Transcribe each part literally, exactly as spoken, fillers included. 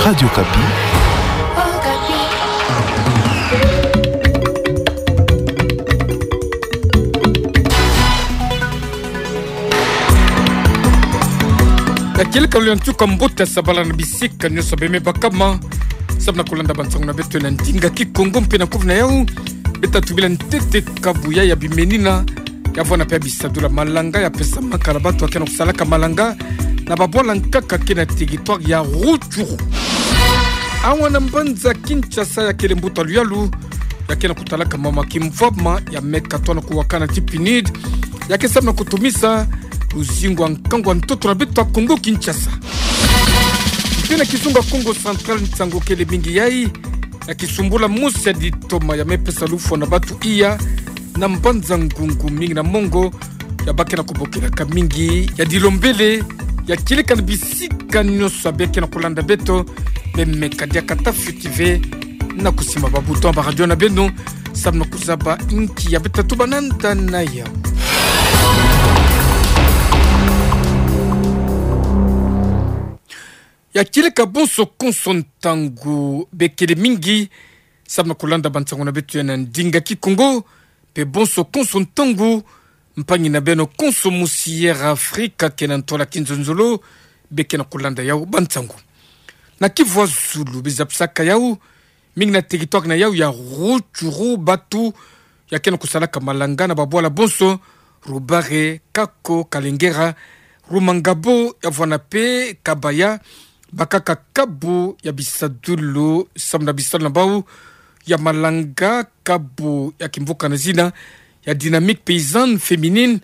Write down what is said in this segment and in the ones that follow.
Radio Okapi. Ya kieleka lolendo, nsuka mbote, sabala na bisika nyonso bemebakama, samu na kulanda bansangu na beto na ndinga Kikongo mpe na kuvu na yau. Beta tubila ntete kabu ya, ya bimenina, ya vwanda mpe ya bisadulu ya malanga ya pesamaka na bato ya ke na kusalaka malanga na babwala nkaka ke na territoire ya Rutshuru. Awa na mbanza Kinshasa, ya kele mbuta luyalu ya ke na kutalaka mama kimvwama ya meka twa na kuwakana ti PNUD, ya ke samu na kutumisa luzingu ya nkangu ya ntoto na beto ya Kongo Kinshasa. Mpe na kizunga Kongo Central, nsangu kele mingi yai na kisumbula mosi ya ditoma ya me pesa lufwa na bato iya na mbanza Ngungu, mingi na mongo ya ba ke na kubokelaka mingi ya dilombele. Ya kieleka na bisika nyonso ya ba ke na kulanda beto, bemeka diaka ta fioti ve na kusimba ba bouton ya ba radio na beno, samu na kuzaba inki ya beta tuba nanda na yau. Ya kieleka bonso konso ntangu, bekele mingi samu na kulanda bansangu na beto ya na ndinga Kikongo, mpe bonso konso ntangu, mpangi na beno konso mosi ya Air Afrika ke na ntwala kinzonzolo, be ke na kulanda yau bansangu. Na kivu ya zulu, bizapisaka yau mingi na territoire na yau ya Rutshuru, bato ya ke na kusalaka malanga na babwala bonso, Rubare, Kako, Kalengera, Rumangabo, ya vwanda mpe Kabaya, bakaka kabu ya bisadulu samu na bisalu na bau ya malanga, kabu ya kimvuka na zina ya Dynamique Paysanne Féminine,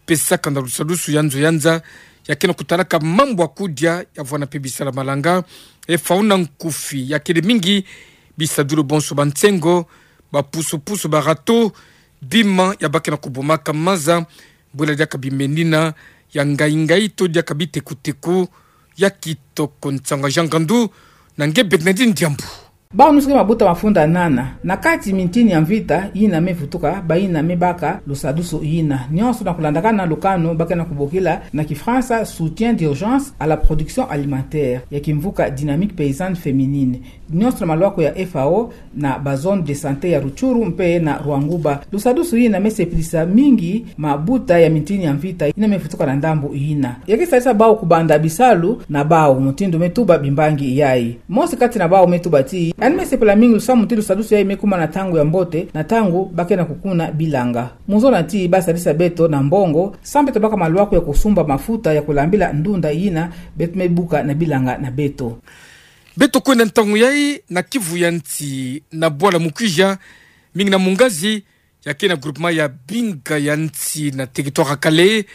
pesaka na lusadusu ya nzo ya nza ya ke na kutalaka mambu ya kudia, ya vwanda mpe bisalu ya malanga, F A O na nkufi. Ya kele mingi bisadulu bonso, bansengo, bapusupusu, barato, bima ya ba ke na kubomaka maza, bwela diaka bimenina ya ngai-ngai to diaka biteko-teko. Ya kitoko nsangu ya Jean Ngandu na nge Bernardine Diambu. Bau nyonso ke mabuta mafunda nana na kati mintini ya mvita yina me vutuka, bayina me baka lusadusu yina, nyonso na kulandakana lukanu ba ke na kubokila na Kifaransa soutien d'urgence à la production alimentaire ya kimvuka Dynamique Paysanne Féminine, nyonso na malwako ya F A O na ba zone de santé ya Rutshuru mpe na Rwanguba. Lusadusu yina me sepelisa mingi mabuta ya mintini ya mvita yina me vutuka na ndambu yina. Ya ke sadisa bau kubanda bisalu na bau, mutindu me tuba bimbangi yai. Mosi kati na bau me tuba ti yandi me sepela mingi lusamu ti lusadusu yai me kuma na ntangu ya mbote, na ntangu ba ke na kukuna bilanga. Mu zona ti ba sadisa beto na mbongo, samu beto baka malwako ya kusumba mafuta ya kulambila ndunda yina beto me buka na bilanga na beto. Beto kwenda ntangu yai na kivu ya nsi, na bwala Mukwija, mingi na Mungazi, ya ke na groupement ya Binga ya nsi na territoire ya Kalehe,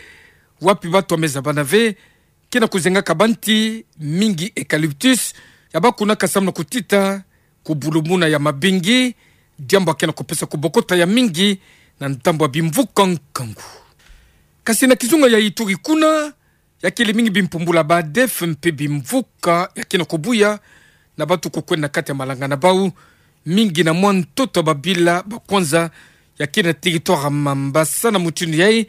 wapi bato ya me zabana ve ke na kuzengaka banti mingi eucalyptus ya ba kunaka samu na kutita kubulumuna ya mabingi, diambu ya ke na kupesa kubokota ya mingi na ndambu ya bimvuka nkangu. Kasi na kizunga ya Ituri kuna, ya kele mingi bimpumbula ba ADF mpe bimvuka ya ke na kubuya na bato kukwenda na kati ya malanga na bau, mingi na mwa ntoto ya babila ba kwanza ya ke na territoire ya Mambasa. Na mutindu yai,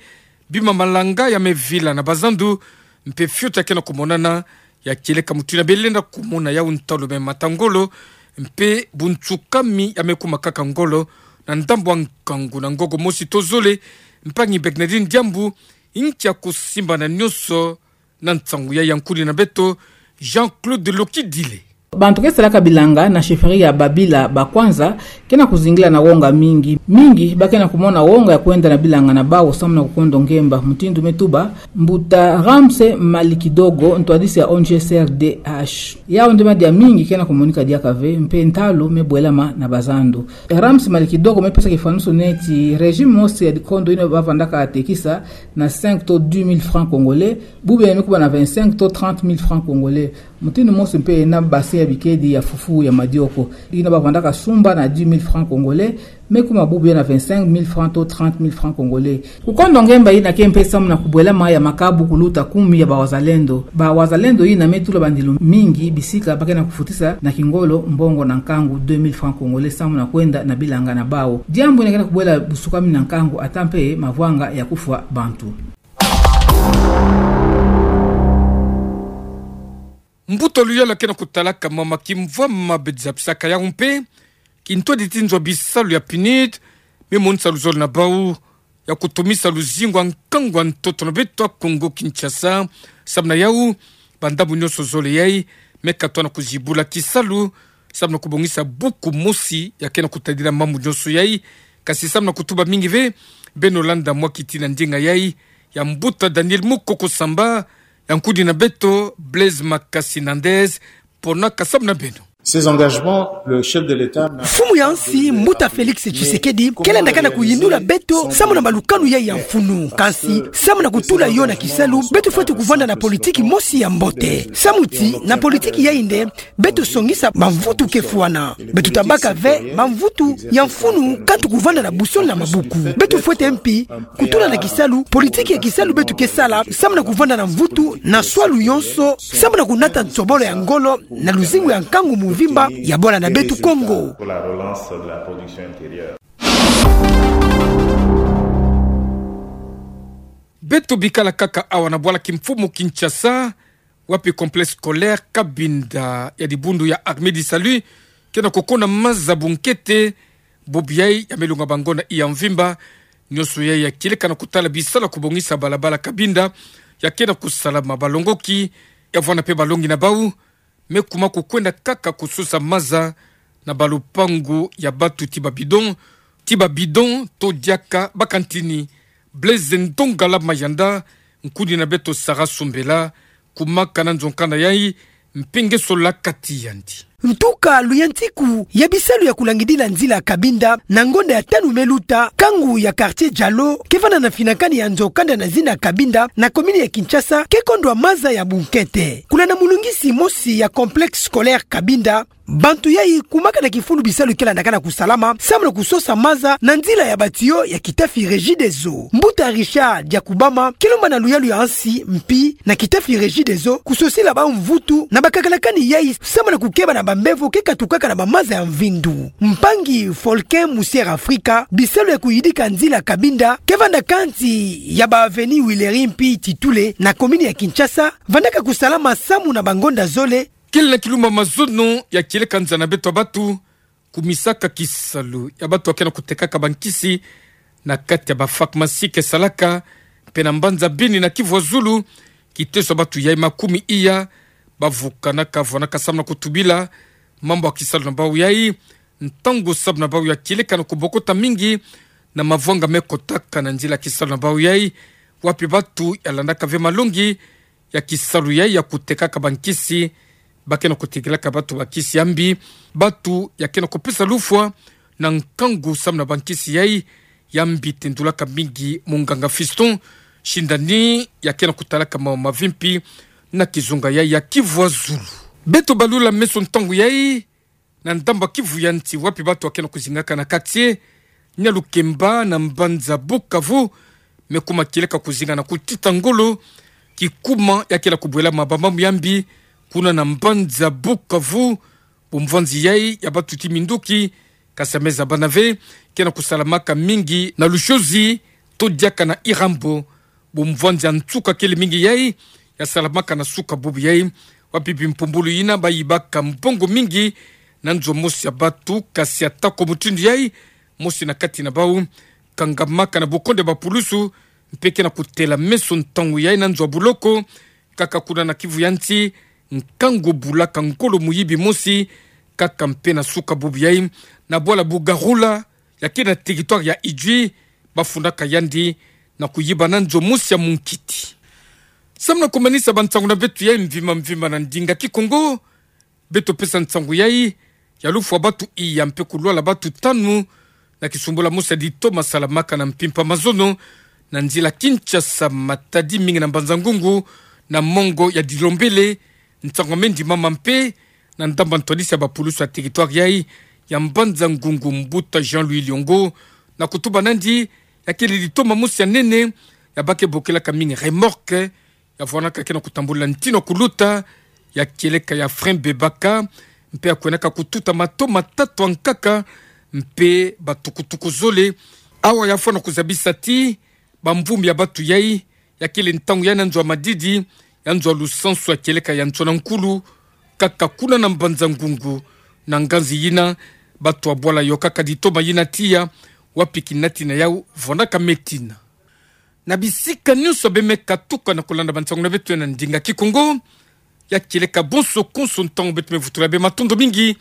bima malanga ya me vila na bazandu, mpe fioti ya ke na kumonana. Ya kieleka mutindu yina belenda kumona yau ntalu me mata ngolo, mpe bunsukami ya me kuma kaka ngolo na ndambu ya nkangu. Na ngoko mosi to zole, mpangi Bernardine Diambu, inki ya kusimbana nyonso na nsangu yai? Yankuni na beto Jean-Claude Lokidile. Bantu ke salaka bilanga na chefferie ya babila ba kwanza ke na kuzingila na wonga mingi. Mingi ba ke na kumona wonga ya kwenda na bilanga na bau samu na kukondo ngemba, mutindu me tuba mbuta Ramse Malikidogo, ntwadisi ya O N G C R D H. Yau nde madia mingi ke na kumonika diaka ve, mpe ntalu me bwelama na bazandu. Ramse Malikidogo me pesa kifwanusu neti régime mosi ya dikondo yina ba vandaka tekisa na cinq to dix mille francs congolais, bubu yina me kuma na vingt-cinq to trente mille francs congolais. Mutindu mosi mpe na bassin ya bikedi ya fufu ya madioko, yina ba vandaka sumba na dix mille francs congolais, me kuma bubu yina na vingt-cinq mille francs to trente mille francs congolais. Kukondo ngemba yina ke mpe samu na kubwelama ya makabu kuluta kumi ya ba wazalendo. Ba wazalendo yina me tula bandilu mingi bisika ba ke na kufutisa na kingolo mbongo na nkangu deux mille francs congolais samu na kwenda na bilanga na bau. Diambu yina ke na kubwela busukami na nkangu, ata mpe mavwanga ya kufwa bantu. Mbuta luyalu ya kena kutalaka mama kimvwama bedzabisaka yau mpe kintwadi ti nzo ya bisalu ya PNUD, me monisa luzolo na bau ya kutumisa luzingu wa nkangu wa ntoto na beto a Kongo Kinshasa. Samu na yau, bandambu nyonso zole yai me katwa na kuzibula kisalu, samu na kubongisa buku mosi ya kena kutadila mambu nyonso yai. Kasi samu na kutuba mingi ve, beno landa mwa kiti na ndinga yai ya mbuta Daniel Mukoko Samba, ya nkudi na beto Blaise Makasi Nandez, ponaka samu na beno. Ces engagements, le chef de l'État n'a Mfumu ya nsi, mbuta Félix Tshisekedi, kele ndakana kuyindula beto samu na malukanu yai ya mfunu. Kasi, samu na kutula yo na kisalu, beto fwete kuvanda na politiki mosi ya mbote. Samu ti, na politiki yai nde, beto songisa bamvutu ke fwana. Beto tabaka ve bamvutu ya mfunu kantu kuvanda na busoni na mabuku. Beto fwete mpi kutula na kisalu politiki ya kisalu beto ke sala, samu na kuvanda na mvutu na swalu yonso, samu na kunata nsobolo ya ngolo na luzingu ya nkangu mvimba ya bwala na beto Kongo. Beto bikala kaka awa na bwala kimfumu Kinshasa, wapi complexe scolaire Cabinda ya dibundu ya Armée du Salut kena kukona maza bunkete. Bubu yai ya me longa bangonda iya mvimba. Nyonso yai ya kieleka na kutala bisalu ya kubongisa balabala Cabinda ya kena kusalama. Balongoki ya vwanda mpe balongi na bau me kuma kukwenda kaka kusosa maza na balupangu ya batu ti babidon, ti babidon to diaka bakantini. Blaise Ndongala Mayanda, nkudi na beto Sarah Sumbela, kumaka na nzo nkanda yai, mpe nge sola kati yandi. Ntuka luyantiku ya bisalu ya kulangidila nzila Cabinda na ngonda ya tanu me luta, nkangu ya quartier Dialo, ke vanda na finakani ya nzo kanda na zina Cabinda, na commune ya Kinshasa, ke kondwa maza ya bunkete. Kuna na mulungisi mosi ya complexe scolaire Cabinda, bantu yai kumaka na kifulu bisalu ke landaka na kusalama, samu na kusosa maza na nzila ya batiyo ya kitafi Regideso. Mbuta Richard Diakubama, ke lomba na luyalu ya nsi mpi na kitafi Regideso kusosila bau mvutu na bakakalakani yai, samu na kukeba na bambevo ke katukaka na bamaza ya mvindu. Mpangi Folken Musier Afrika, bisalu ya kuyidika nzila Cabinda ke vanda kansi ya ba avenue Willery mpi Titule na commune ya Kinshasa, vandaka kusalama samu na bangonda zole. Kele na kilumbu ya mazono ya kieleka nza na beto ya batu kumisaka kisalu ya batu ya kena kutekaka bankisi na kati ya bapharmacie ke salaka mpe na mbanza Beni na Kivu ya Zulu. Kiteso ya batu yai makumi iya bavukanaka, vwanaka samu na kutubila mambu ya kisalu na bau yai, ntangu samu na bau ya kieleka na kubokota mingi na mavwanga me kotaka na nzila kisalu na bau yai, wapi batu ya landaka ve malongi ya kisalu yai ya kutekaka bankisi, ba kena kutekelaka batu bankisi ya mbi, batu ya kena kupesa lufwa na nkangu samu na bankisi yai ya mbi. Tendulaka mingi munganga Fiston Shindani ya kena kutalaka mambu mavimpi na kizunga yai ya Kivu ya Zulu. Beto balula meso ntangu yai na ndambu ya Kivu ya Nsi, wapi batu ya kena kuzingaka na quartier Nialukemba na mbanza Bukavu me kuma kieleka kuzinga na kutita ngolo, kikuma ya kena kubwela mabamba mu ya mbi kuna na mbanza Bukavu. Bumvwanzi yai ya batu ti minduki, kasi ya me zabana ve, kena kusalamaka mingi na Lushozi to diaka na Irambo. Bumvwanzi ya nsuka kele mingi yai ya salamaka na suka bubu yai, wapi bimpumbulu yina bayibaka mbongo mingi na nzo mosi ya batu, kasi atako mutindu yai, mosi na kati na bau kangamaka na bukonde ya bapulusu mpe kena kutela meso ntangu yai na nzo ya buloko. Kaka kuna na Kivu ya Nsi, nkangu bulaka ngolo muyibi mosi kaka mpe na suka bubu yai na bwala Bugarula ya kele na territoire ya Idjwi, bafundaka yandi na kuyiba na nzo mosi ya munkiti. Samu na kumanisa bansangu na beto yai mvimba mvimba na ndinga Kikongo, beto pesa nsangu yai ya lufwa batu iya mpe kulwala batu tanu na kisumbula mosi ya litoma salamaka na mpimpa mazono na nzila Kinshasa Matadi, mingi na Mbanza-Ngungu na mongo ya Dilombele. Nsangu ya me ndimama mpe na ndambu ya ntwadisi ya bapulusu ya territoire yai ya Mbanza-Ngungu, mbuta Jean-Louis Liongo, na kutuba nandi ya kele litoma mosi ya nene ya ba ke bokelaka mingi remorque, ya vwanaka kena kutambula ntino kuluta, ya kieleka ya frein bebaka, mpe ya kwenaka kututa mato matatu ya nkaka, mpe batukutuku zole. Awa ya fwana kuzabisa ti bamvumbi ya batu yai, ya kele ntangu yai na nzo ya madidi, ya nzo ya lusansu ya kieleka ya Nsona Nkulu, kaka kuna na mbanza ngungu, na nganzi yina, bato abwala yo kaka ditoma yina tiya, wapi kinatina yau, vonaka metina. Na bisika nyonso bemeka tuka na kolanda bansangu na beto na ndinga Kikongo, ya kieleka bonso konso ntangu beto mevutula be matondo mingi,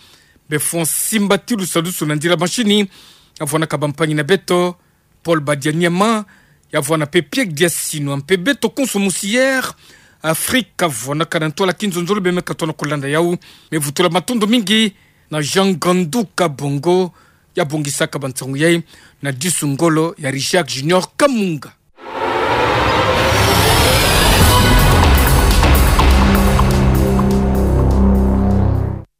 be François Simba Tilusalusu na nzila mashini, ya vonaka bampangi na beto, Paul Badia Niama, ya vona pe Pierre Diasino, mpe beto konso musi Air Afrika, vonaka na ntwala kinzonzolo bemeka tona kolanda yau, mevutula matondo mingi, na Jean Gandu Kabongo, ya bongisaka bansangu yai, na disu ngolo ya Richard Junior Kamunga.